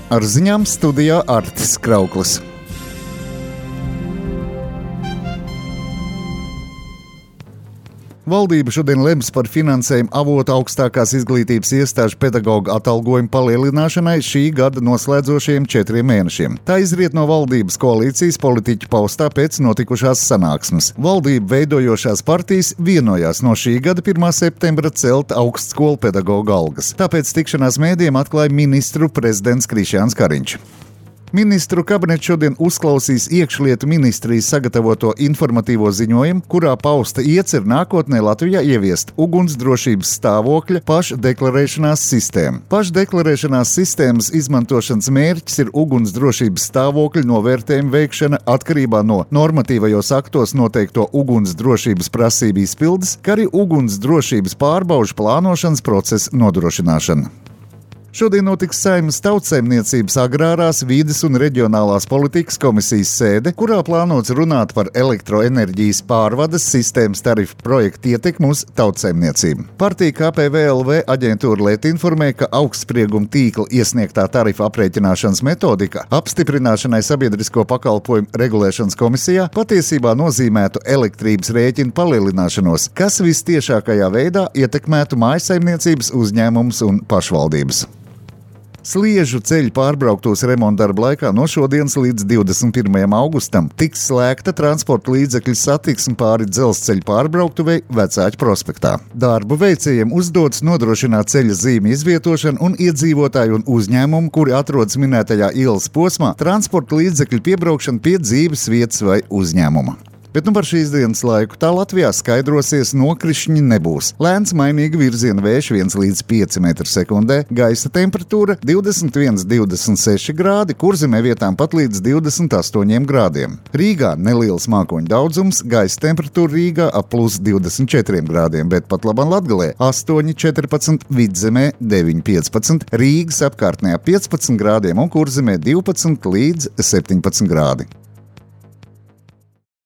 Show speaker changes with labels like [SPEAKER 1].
[SPEAKER 1] Ar ziņām studijā Artis Krauklis. Valdība šodien lems par finansējumu avotu augstākās izglītības iestāžu pedagoģu atalgojumu palielināšanai šī gada noslēdzošajiem 4 mēnešiem. Tā izriet no valdības koalīcijas politiķu paustā pēc notikušās sanāksmes. Valdību veidojošās partijas vienojās no šī gada 1. septembra celt augstskolu pedagoģu algas. Tāpēc tikšanās mēdījiem atklāja ministru prezidents Krišjāns Kariņš. Ministru kabinets šodien uzklausīs iekšlietu ministrijas sagatavoto informatīvo ziņojumu, kurā pausta iecer nākotnē Latvijā ieviest ugunsdrošības stāvokļa pašdeklarēšanās sistēmu. Pašdeklarēšanās sistēmas izmantošanas mērķis ir ugunsdrošības stāvokļa novērtējuma veikšana atkarībā no normatīvajos aktos noteikto ugunsdrošības prasību izpildes, kā arī ugunsdrošības pārbaužu plānošanas procesa nodrošināšana. Šodien notiks Saeimas Tautsaimniecības agrārās, vides un reģionālās politikas komisijas sēde, kurā plānots runāt par elektroenerģijas pārvades sistēmas tarifu projektu ietekmi uz tautsaimniecību. Partija KPVLV aģentūra Lieta informē, ka augstsprieguma tīkla iesniegtā tarifa aprēķināšanas metodika apstiprināšanai sabiedrisko pakalpojumu regulēšanas komisijā patiesībā nozīmētu elektrības rēķinu palielināšanos, kas vistiešākajā veidā ietekmētu mājsaimniecības, uzņēmumus un pašvaldības. Sliežu ceļu pārbrauktos remontdarbu laikā no šodienas līdz 21. augustam tiks slēgta transporta līdzekļu satiksme pāri dzelzceļa pārbrauktuvei Vecāķu prospektā. Darbu veicējiem uzdots nodrošināt ceļa zīmju izvietošanu un iedzīvotāju un uzņēmumu, kuri atrodas minētajā ielas posmā, transporta līdzekļu piebraukšanu pie dzīves vietas vai uzņēmuma. Bet par šīs dienas laiku tā Latvijā skaidrosies, nokrišņi nebūs. Lēns mainīga virziena vējš 1 līdz 5 m/sekundē, gaisa temperatūra 21–26 grādi, Kurzemē vietām pat līdz 28 grādiem. Rīgā neliels mākoņu daudzums, gaisa temperatūra Rīgā ap +24 grādiem, bet pat labam Latgalē 8–14, Vidzemē 9–15, Rīgas apkārtnē ap 15 grādiem un Kurzemē 12 līdz 17 grādi.